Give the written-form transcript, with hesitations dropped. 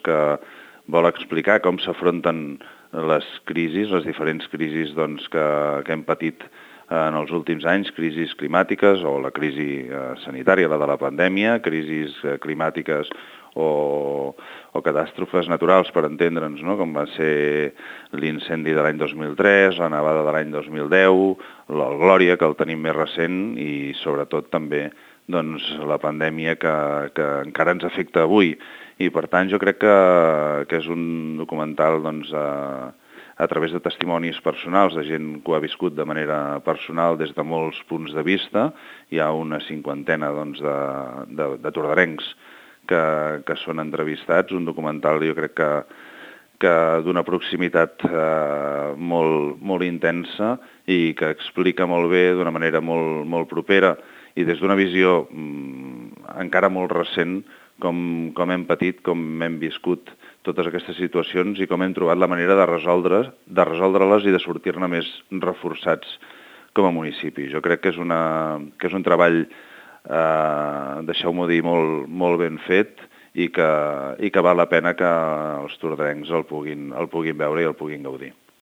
que vol explicar com s'afronten les crisis, les diferents crisis que hem patit en els últims anys, crisis climàtiques o la crisi sanitària, la de la pandèmia, crisis climàtiques o catàstrofes naturals, per entendre'ns, no? Com va ser l'incendi de l'any 2003, la nevada de l'any 2010, el Glòria, que el tenim més recent, i sobretot també la pandèmia que encara ens afecta avui. I per tant jo crec que és un documental a través de testimonis personals de gent que ho ha viscut de manera personal des de molts punts de vista. Hi ha una cinquantena de tordarencs que són entrevistats, un documental jo crec que d'una proximitat molt intensa i que explica molt bé d'una manera molt propera i des d'una visió encara molt recent com hem patit, com hem viscut totes aquestes situacions i com hem trobat la manera de resoldre-les i de sortir-ne més reforçats com a municipi. Jo crec que és un treball, deixeu-m'ho dir, molt ben fet i que val la pena que els tordarencs el puguin veure i el puguin gaudir.